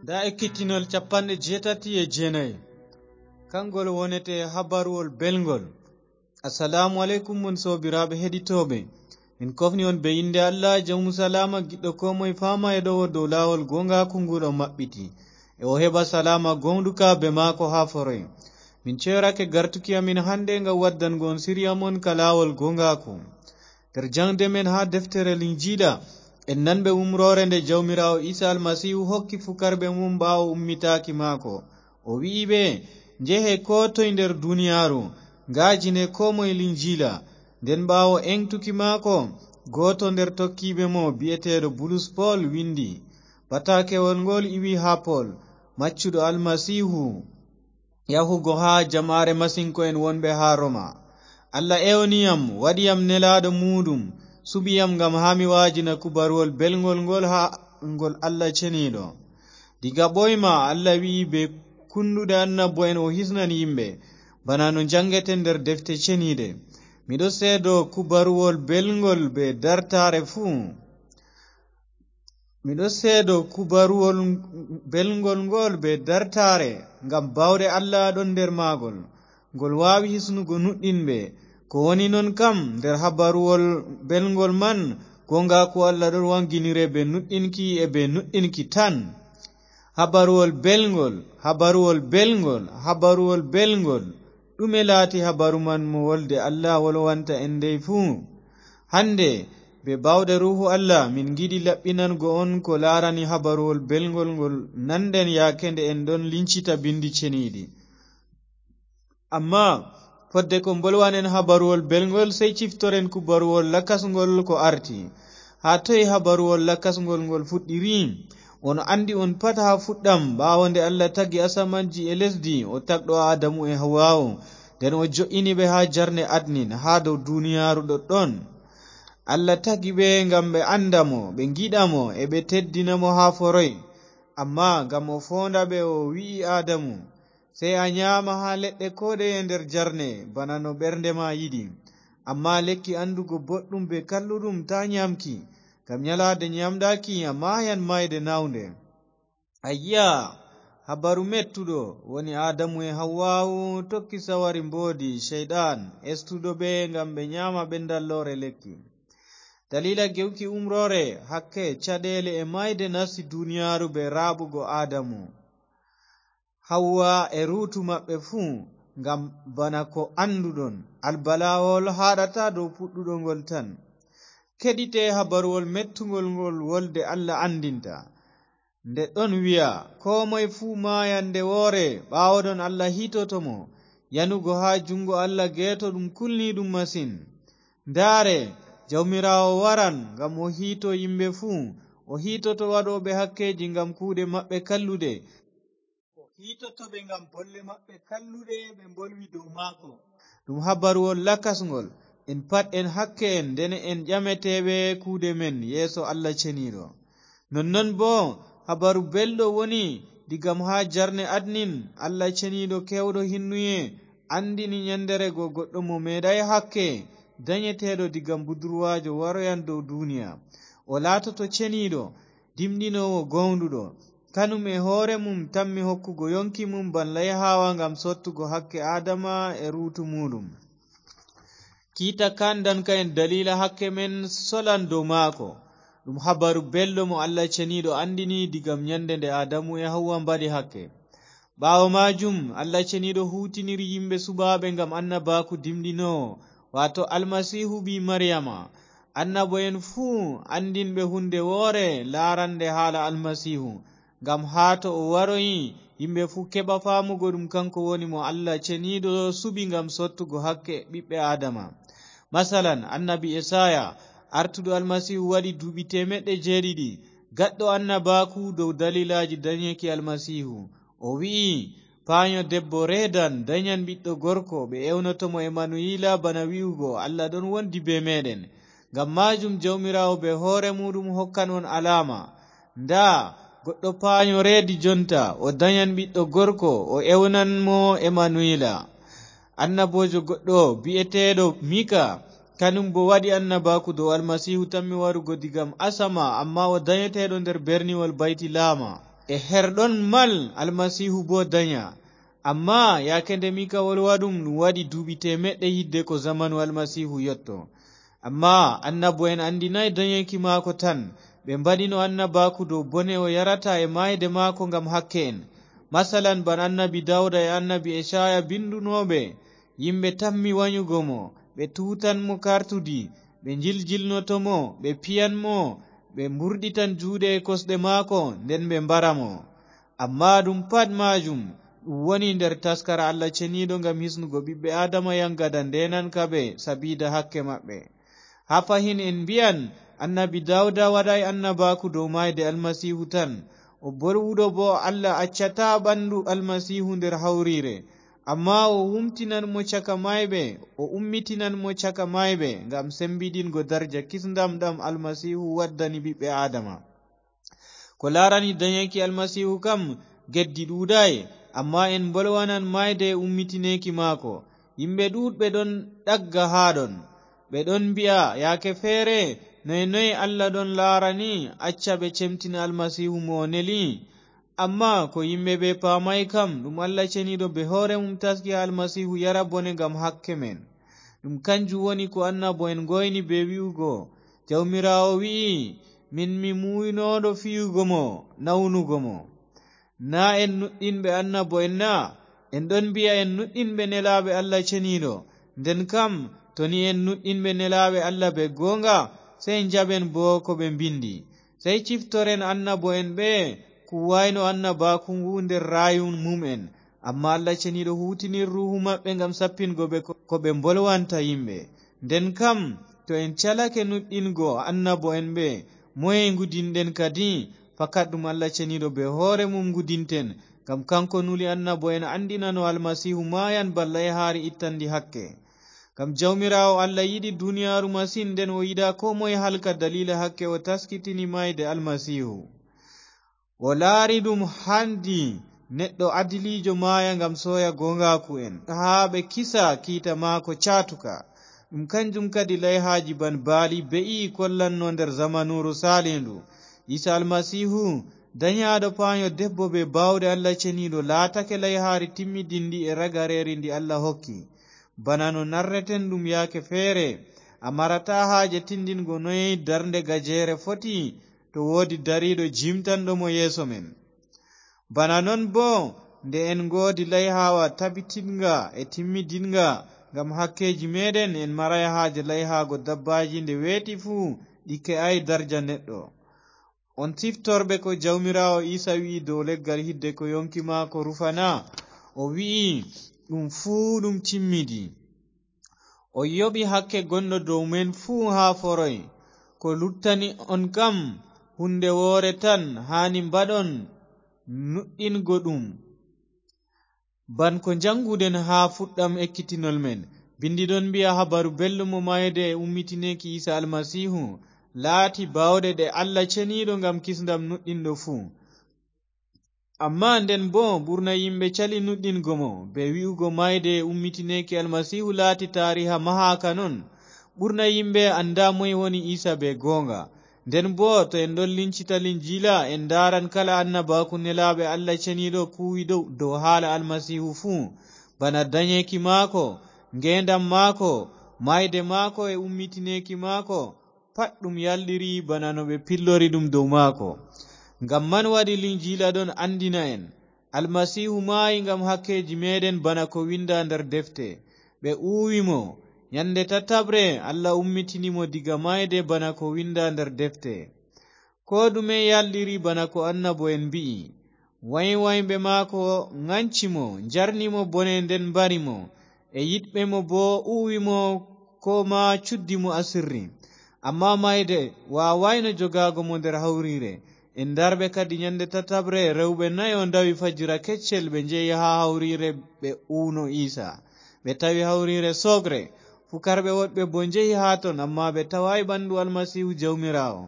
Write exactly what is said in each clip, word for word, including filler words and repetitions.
Ndaa ekkitinol capanɗe jeetati e jeenayi. Kangol wonete habaruwol belngol. Assalaamu aleykum, mon soobiraaɓe heɗitooɓe. Min kofni on be innde Allah, jawmu salaama, giɗɗo koo moye faama e ɗowo dow laawol gooŋgaaku nguɗo maɓɓiti. E o heɓa salaama gooŋɗuka be maako haa foroy. Min ceyorake gartuki amin hande ngam waddango on siriya mon ka laawol gooŋgaaku. Nder jaŋde men haa deftere Linjiila, en nanɓe umroore nde Jawmiraawo Iisa Almasiihu hokki fukarɓe mum ɓaawo ummitaaki maako. O wi'i ɓe, "Njehe koo toy nder duniyaaru, ngaajine koo moye Linjiila." Nden ɓaawo eŋtuki maako, gooto nder tokkiiɓe mo bi'eteeɗo Bulus Pol windi, "Bataakewol ngol iwi haa Pol, maccuɗo Almasiihu, yahugo haa jama'aare masinko'en wonɓe haa Roma. Allah ewni yam, waɗi yam nelaaɗo muuɗum, suɓi yam ngam haa mi waajina kubaruwol belŋgol ngol haa ngol Allah ceniiɗo. Diga ɓooyma Allah wi'i bee kunnduɗe annabo'en o hisnan yimɓe, bana no jaŋgeten nder defte ceniiɗe. Miɗo seedo kubaruwol belŋgol bee dartaare fuu." Miɗo seedo kubaruwol belŋgol ngol bee dartaare, ngam baawɗe Allah ɗon nder maagol. Ngol waawi hisnugo nuɗɗinɓe. Ko woni non kam, nder habaruwol belŋgol man, gooŋgaaku Allah ɗon waŋginire bee nuɗɗinki e bee nuɗɗinki tan. Habaruwol belŋgol, habaruwol belŋgol, habaruwol belŋgol. Ɗume laati habaru man mo wolde Allah wolwanta en dey fuu? Hande, be baawɗe Ruuhu Allah, min ngiɗi laɓɓinango on ko laarani habaruwol belŋgol ngol nanɗen yaake nde en ɗon lincita bindi ceniiɗi. Ammaa fodde ko mbolwanen habaruwol belŋgol, sey ciftoren kubaruwol lakasŋgol ko arti. Haa toy habaruwol lakasŋgol ngol fuɗɗiri? On anndi on pat haa fuɗɗam, ɓaawo nde Allah tagi asamanji e lesdi, o tagɗo Aadamu e Hawwaawu, nden o jo'ini ɓe haa jarne Adnin, haa dow duniyaaru ɗoɗɗon. Allah tagi ɓe ngam ɓe annda mo, ɓe ngiɗa mo, e ɓe teddina mo haa foroy. Ammaa ngam o foonda ɓe, o wi'i Aadamu, "Sey a nyaama haa leɗɗe kooɗeye nder jarne, bana no ɓernde ma yiɗi. Ammaa lekki anndugo boɗɗum bee kalluɗum, taa nyaamki, ngam nyalaade nyaamɗaaki a maayan maayde naawnde." Ayya, habaru mettuɗo woni Aadamu e Hawwaawu tokki sawari mboodi Ceyɗan, estuɗo ɓe ngam ɓe nyaama ɓendalloore lekki. Daliila gewki umroore, hakke, caɗeele e maayde nasti duniyaaru bee raaɓugo Aadamu, Hawwa e ruutu maɓɓe fuu, ngam bana ko annduɗon, albalaawol haaɗataa dow puɗɗuɗo ngol tan. Keɗite habaruwol mettungol ngol wolde Allah anndinta. Nde ɗon wi'a, "Koo moy fuu maayan nde woore, ɓaawoɗon Allah hiitoto mo." Yanugo haa juŋngo Allah geeto ɗum kulniiɗum masin. Ndaare, Jawmiraawo waran ngam o hiito yimɓe fuu. O hiitoto waɗooɓe hakkeeji ngam kuuɗe maɓɓe kalluɗe. O hiitoto ɓe ngam bolle maɓɓe kalluɗe ɓe mbolwi dow maako. Ɗum habaruwol lakasŋgol. En pat en hakke en, nden en ƴameteeɓe kuuɗe men yeeso Allah ceniiɗo. Nonnon boo, habaru belɗo woni digam haa jarne Adnin, Allah ceniiɗo keewɗo hinnuye anndini nyanndeere go goɗɗo mo meeɗaay hakke, danyeteeɗo digam budurwaajo waroyan dow duniya. O laatoto ceniiɗo, dimɗinoowo gooŋɗuɗo. Kanum e hoore mum tammi hokkugo yonki mum ban layhaawa ngam sottugo hakke Aadama e ruutu muuɗum. Kiita kan danka en daliila hakke men solan dow maako. Ɗum habaru belɗo mo Allah ceniiɗo anndini digam nyannde nde Aadamu e Hawwa mbaɗi hakke. Ɓaawo maajum, Allah ceniiɗo huutiniri yimɓe suɓaaɓe ngam annabaaku dimɗinoowo, waato Almasiihu ɓii Maryama. Annabo'en fuu anndinɓe huunde woore laarannde haala Almasiihu, ngam haa to o waroyi, yimɓe fuu keɓa faamugo ɗum kanko woni mo Allah ceniiɗo suɓi ngam sottugo hakke ɓiɓɓe Aadama. Masalan, annabi Esaaya, artuɗo Almasiihu waɗi duuɓi teemeɗɗe jeeɗiɗi, gaɗɗo annabaaku dow daliilaaji danyeki Almasiihu. O wi'i, "Paanyo debbo reedan, danyan ɓiɗɗo gorko, ɓe ewnoto mo Emanu'iila, bana wi'ugo, 'Allah ɗon wondi bee meeɗen.'" Ngam maajum Jawmiraawo bee hoore muuɗum hokkan on alaama. Ndaa, goɗɗo paanyo reedi jonta, o danyan ɓiɗɗo gorko, o ewnan mo Emanu'iila. Annaboojo goɗɗo bi'eteeɗo Mika, kanum boo waɗi annabaaku dow Almasiihu tammi warugo digam asama, ammaa o danyeteeɗo nder berniwol Baytilaama. E her ɗon mal Almasiihu boo danya. Ammaa yaake nde Mikawol waɗum, ɗum waɗi duuɓi teemeɗɗe yidde ko zamanu Almasiihu yotto. Ammaa annabo'en anndinaay danyeeki maako tan, ɓe mbaɗino annabaaku dow bone o yarata e maayde maako ngam hakke en. Masalan, bana annabi Dawda e annabi Ecaaya bindunooɓe, yimɓe tammi wanyugo mo, ɓe tuutan mo kartudi, ɓe njiljilnoto mo, ɓe piyan mo, ɓe mburɗitan juuɗe e kosɗe maako, nden ɓe mbara mo. Ammaa ɗum pat maajum, ɗum woni nder taskara Allah Ceniiɗo ngam hisnugo ɓiɓɓe Aadama yaŋgada ndeenanka ɓe sabiida hakke maɓɓe. Haa fahin en mbi'an, annabi Dawda waɗaay annabaaku dow maayde Almasiihu tan. O bolwuɗo boo, Allah accataa ɓandu Almasiihu nder hawriire. Ammaa o wumtinan mo caka maayɓe, o ummitinan mo caka maayɓe, ngam sembiɗingo darja kisndam ɗam Almasiihu waddani ɓiɓɓe Aadama. Ko laarani danyeeki Almasiihu kam, geddi ɗuuɗaay, ammaa en mbolwanan maayde e ummitineeki maako. Yimɓe ɗuuɗɓe ɗon ɗagga haa ɗon. Ɓe ɗon mbi'a, yaake feere, noy noy Allah ɗon laarani, acca ɓe cemtina Almasiihu mo o neli? Ammaa ko yimɓe ɓe paamaay kam, ɗum Allah Ceniiɗo bee hoore mum taski haa Almasiihu yara bone ngam hakke men. Ɗum kanjum woni ko annabo'en ngoyni bee wi'ugo, Jawmiraawo wi'i, min mi muuyinooɗo fiyugo mo, nawnugo mo. Naa en nuɗɗinɓe annabo'en na? En ɗon mbi'a en nuɗɗinɓe nelaaɓe Allah Ceniiɗo. Nden kam, to ni en nuɗɗinɓe nelaaɓe Allah bee gooŋga, sey njaɓen boo ko ɓe mbindi. Sey ciftoren annabo'en ɓe kuuwaayno annabaaku ngu nder raayuwol mum'en. Ammaa Allah Ceniiɗo huutinir ruuhu maɓɓe ngam sappingo ɓe ko, ko ɓe mbolwanta yimɓe. Nden kam, to en calake nuɗɗingo annabo'en ɓe, moye ngudinɗen kadi? Fakat ɗum Allah Ceniiɗo bee hoore mum ngudinten, ngam kaŋko nuli annabo'en anndina no Almasiihu maayan bana layhaari ittanndi hakke. Ngam Jawmiraawo Allah yiɗi duniyaaru masin, nden o yiɗaa koo moye halka daliila hakke o taskitini maayde Almasiihu. O laari ɗum haandi neɗɗo adiliijo maaya ngam sooya gooŋgaaku'en, haa ɓe kisa kiita maako caatuka. Ɗum kanjum kadi layhaaji bana baali be'i kollanno nder zamanuuru saalindu. Iisa Almasiihu, danyaaɗo paanyo debbo bee baawɗe Allah Ceniiɗo, laatake layhaari timmidinndi e ragareeri ndi Allah hokki. Bana no narreten ɗum yaake feere, a marataa haaje tindingo noy darnde gajeere foti, to woodi dariiɗo jimtanɗo mo yeeso men. Bana non boo, nde en ngoodi layhaawa tabititŋga e timmidinŋga ngam hakkeeji meeɗen, en maraay haaje layhaago dabbaaji nde weeti fuu ɗi ke'aay darja neɗɗo. On ciftorɓe ko Jawmiraawo Iisa wi'i dow leggal hidde ko yoŋki maako rufa na? O wi'i, ɗum fuu ɗum timmidi. O yoɓi hakke gonɗo dow men fuu haa foroy. Ko luttani on kam, huunde woore tan haani mbaɗon, nuɗɗingo ɗum. Bana ko njaŋnguɗen haa fuɗɗam ekkitinol men, Binndi ɗon mbi'a Habaru Belɗum mo maayde e ummitineeki Iisa Almasiihu laati baawɗe ɗe Allah Ceniiɗo ngam kisndam nuɗɗinɗo fuu. Ammaa nden boo, ɓurna yimɓe cali nuɗɗingo mo, bee wi'ugo maayde e ummitineeki Almasiihu laati taariha mahaaka non. Ɓurna yimɓe anndaa moy woni Iisa bee gooŋga. Nden boo, to en ɗon lincita Linjiila, en ndaaran kala annabaaku nelaaɓe Allah Ceniiɗo kuuwi dow, dow haala Almasiihu fuu, bana danyeeki maako, ngeendam maako, maayde maako e ummitineeki maako, pat ɗum yalɗiri bana no ɓe pillori ɗum dow maako. Ngam man waɗi Linjiila ɗon anndina en, Almasiihu maayi ngam hakkeeji meeɗen bana ko winnda nder defte. Ɓe uwi mo. Nyannde tataɓre, Allah ummitini mo diga maayde bana ko winnda nder defte. Koo ɗume yalɗiri bana ko annabo'en mbi'i. Waywayɓe maako ŋanci mo, njarni mo bone nden mbari mo. E yiɗɓe mo boo uwi mo koo maa cuddi mo asirri. Ammaa maayde waawaayno jogaago mo nder hawriire. En ndarɓe kadi nyannde tataɓre, rewɓe nayo ndawi fajira keccel, ɓe njehi haa hawriire, ɓe uwno Iisa. Ɓe tawi hawriire sooɓre. Pukarɓe woɗɓe boo njehi haa ton, ammaa ɓe tawaay ɓandu Almasiihu Jawmiraawo.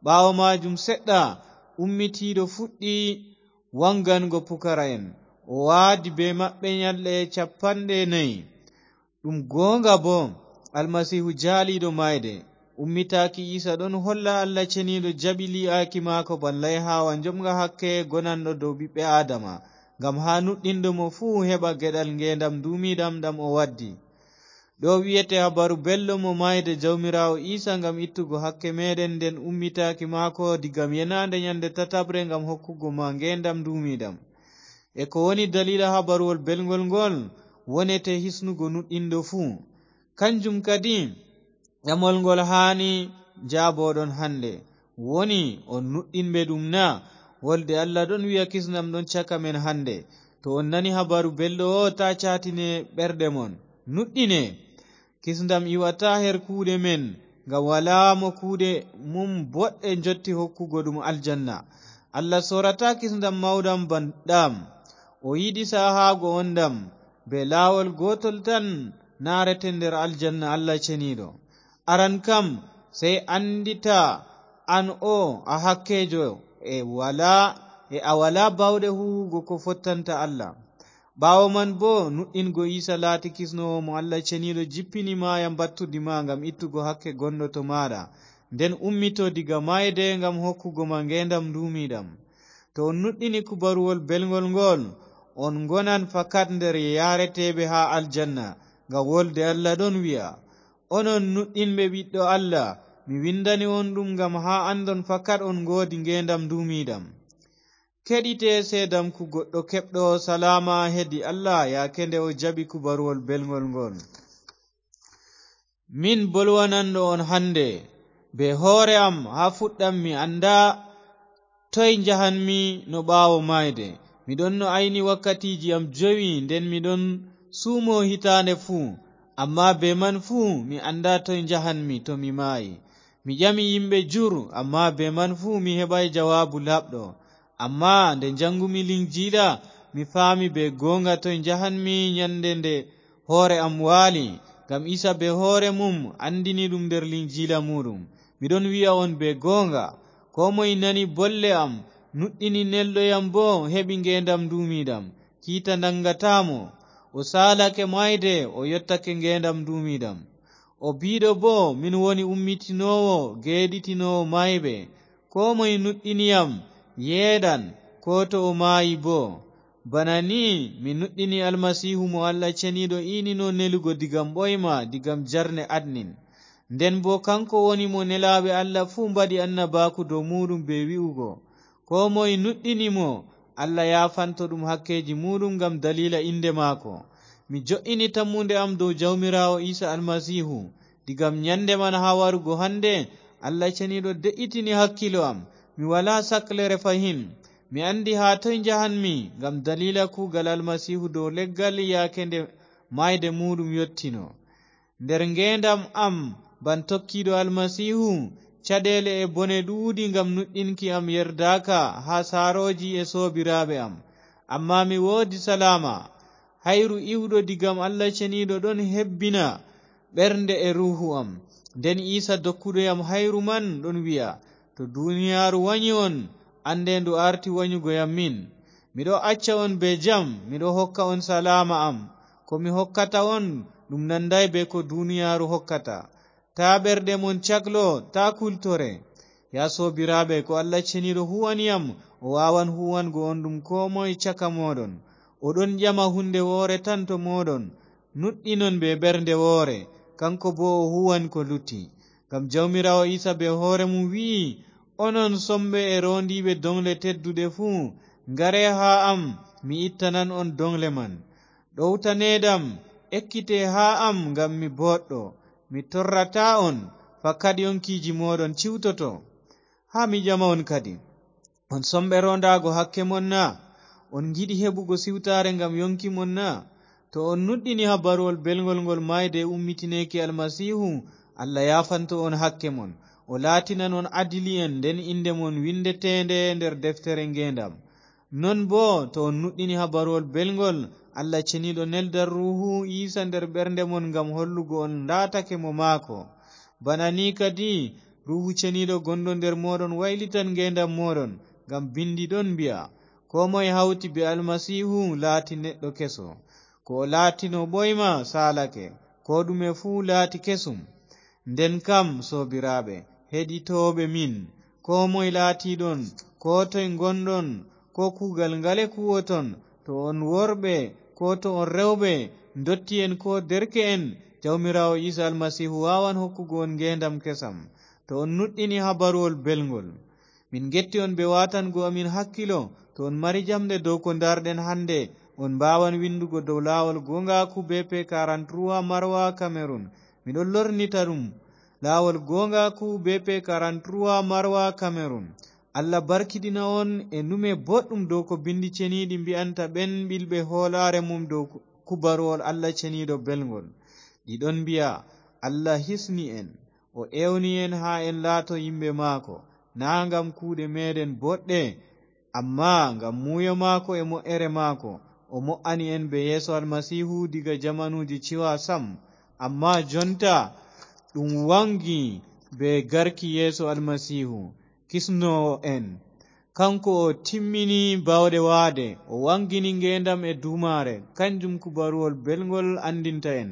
Ɓaawo maajum seɗɗa, ummitiiɗo fuɗɗi waŋgango pukara'en. O waadi bee maɓɓe nyalɗe cappanɗe nayi. Ɗum gooŋga boo, Almasiihu jaaliiɗo maayde, Ummitaaki Iisa ɗon holla Allah Ceniiɗo jaɓi lii'aaki maako ban layhaawa njomga hakke gonanɗo dow ɓiɓɓe Aadama, ngam haa nuɗɗinɗo mo fuu heɓa geɗal ngeendam nduumiiɗam ɗam o waddi. Ɗo wi'ete habaru belɗo mo maayde Jawmiraawo Iisa ngam ittugo hakke meeɗen, nden ummitaaki maako digam yenaande nyande tataɓre ngam hokkugo ma ngeendam nduumiiɗam. E ko woni daliila habaruwol belŋgol ngol wonete hisnugo nuɗɗinɗo fuu. Kanjum kadi, ƴamol ngol haani njaaboɗon hande, woni on nuɗɗinɓe ɗum na? Wolde Allah ɗon wi'a kisndam ɗon caka men hande. To on nani habaru belɗo o, taa caatine ɓerɗe mon. Nuɗɗine. Kisndam iwataa her kuuɗe men, ngam walaa mo kuuɗe mum boɗɗe njotti hokkugo ɗum aljanna. Allah sorataa kisndam mawɗam ban ɗam. O yiɗi sahaago on ɗam, be laawol gootol tan naarete nder aljanna Allah Ceniiɗo. Aran kam, sey anndita an o a hakkeejo e walaa, e a walaa baawɗe huuwugo ko fottanta Allah. Ɓaawo man boo, nuɗɗingo Iisa laati kisnoowo mo Allah Ceniiɗo jippini maaya mbattudi ma ngam ittugo hakke gonɗo to maaɗa, nden ummito diga maayde ngam hokkugo ma ngeendam nduumiiɗam. To on nuɗɗini kubaruwol belŋgol ngool, on ngonan fakat nder yaareteeɓe haa aljanna, ngam wolde Allah ɗon wi'a, "Onon nuɗɗinɓe Ɓiɗɗo Allah, mi windani on ɗum ngam haa anndon fakat on ngoodi ngeendam nduumiiɗam." Keɗite seedamku goɗɗo keɓɗo salaama hedi Allah yaake nde o jaɓi kubaruwol belŋgol ngool. Min bolwananɗo on hande, be hoore am haa fuɗɗam mi anndaa toy njahanmi no ɓaawo maayde. Mi ɗon no ayni wakkatiiji am jowi, nden mi ɗon suumo hitaande fuu, ammaa be man fuu mi anndaa toy njahanmi to mi maayi. Mi ƴami yimɓe jur, ammaa be man fuu mi heɓaay jawaabu laaɓɗo. Ammaa nde njanngumi Linjiila, mi faami be gooŋga toy njahanmi nyannde nde hoore am waali, ngam Iisa be hoore mum anndini ɗum nder Linjiila muuɗum. Mi ɗon wi'a on be gooŋga, koo moy nani bolle am, nuɗɗini nelɗo yam boo, heɓi ngeendam nduumiiɗam, kiita naŋgataa mo. O saalake maayde, o yottake ngeendam nduumiiɗam. O biiɗo boo, "Min woni ummitinoowo, geeɗitinoowo maayɓe. Koo moy nuɗɗini yam, yeeɗan, koo to o maayi boo." Bana nii mi nuɗɗini Almasiihu mo Allah Ceniiɗo iinino nelugo digam ɓooyma, digam jarne adnin. Nden boo kanko woni mo nelaaɓe Allah fuu mbaɗi annabaaku dow muuɗum bee wi'ugo, "Koo moy nuɗɗini mo, Allah yaafanto ɗum hakkeeji muuɗum ngam daliila innde maako." Mi jo'ini tammunde am dow Jawmiraawo Iisa Almasiihu, digam nyannde man haa warugo hande, Allah Ceniiɗo de'itini hakkiilo am. Mi walaa saklere fahin. Mi anndi haa toy njahanmi ngam daliila kuugal Almasiihu dow leggal yaake nde maayde muuɗum yottino. Nder ngeendam am ban tokkiiɗo Almasiihu, caɗeele e bone ɗuuɗi ngam nuɗɗinki am yerdaaka haa saarooji e soobiraaɓe am. Ammaa mi woodi salaama. Hayru iwɗo digam Allah Ceniiɗo ɗon hebbina ɓernde e ruuhu am. Nden Iisa dokkuɗo yam hayru man ɗon wi'a, "To duuniyaaru wanyi on, annde ndu aarti wanyugo yam min. Miɗo acca on bee jam, miɗo hokka on salaama am. Ko mi hokkata on, ɗum nandaay bee ko duuniyaaru hokkata. Taa ɓerɗe mon caklo, taa kultore." Yaa soobiraaɓe, ko Allah Ceniiɗo huuwani yam, o waawan huuwango on ɗum koo moy caka mooɗon. O ɗon ƴama huunde woore tan to mooɗon. Nuɗɗinon bee ɓernde woore, kaŋko boo o huuwan ko lutti. Ngam Jawmiraawo Iisa bee hoore mum wi'i, "Onon somɓe e roondiiɓe doŋle tedduɗe fuu, ngare haa am, mi ittanan on doŋle man. Ɗowtaneeɗam, ekkite haa am ngam mi booɗɗo. Mi torrataa on, fakat yonkiiji mooɗon ciwtoto." Haa mi ƴama on kadi, on somɓe roondaago hakke mon na? On ngiɗi heɓugo siwtaare ngam yonki mon na? To on nuɗɗini habaruwol belŋgol ngol maayde e ummitineeki Almasiihu, Allah yaafanto on hakke mon. O laatinan on adili'en, nden innde mon winndeteende nder deftere ngeendam. Non boo, to on nuɗɗini habaruwol belŋgol, Allah Ceniiɗo neldan Ruuhu Iisa nder ɓernde mon ngam hollugo on laatake mo maako. Bana nii kadi, Ruuhu Ceniiɗo gonɗo nder mooɗon waylitan ngeendam mooɗon, ngam binndi ɗon mbi'a, "Koo moye hawti bee Almasiihu laati neɗɗo keso. Ko o laatino ɓooyma saalake, koo ɗume fuu laati kesum." Nden kam, soobiraaɓe heɗitooɓe min, koo moy laatiiɗon, koo toy ngonɗon, koo kuugal ngale kuwoton, to on worɓe, koo to on rewɓe, ndotti'en koo derke'en, Jawmiraawo Iisa Almasiihu waawan hokkugo on ngeendam kesam, to on nuɗɗini habaruwol belŋgol. Min ngetti on bee waatango amin hakkilo. To on mari jamɗe dow ko ndaarɗen hannde, on mbaawan winndugo dow laawol gooŋgaaku B P quarante-trois Marwa Kamerun. Miɗon lornita ɗum, laawol gooŋgaaku B P quarante-trois Marwa Kamerun. Allah barkiɗina on e nume boɗɗum dow ko binndi ceniiɗi mbi'anta ɓen ɓilɓe hoolaare mum dow ku-, kubaruwol Allah ceniiɗo belŋgol. Ɗi ɗon mbi'a, Allah hisni en. O ewni en haa en laato yimɓe maako, naa ngam kuuɗe meeɗen boɗɗe, ammaa ngam muuyo maako e mo'ere maako. O mo'ani en bee Yeesu Almasiihu diga jamanuuji ciwa sam. Ammaa jonta ɗum waŋgi bee garki Yeesu Almasiihu, kisnoowo en. Kaŋko o timmini baawɗe waade, o waŋgini ngeendam e duumaare, kanjum kubaruwol belŋgol anndinta en.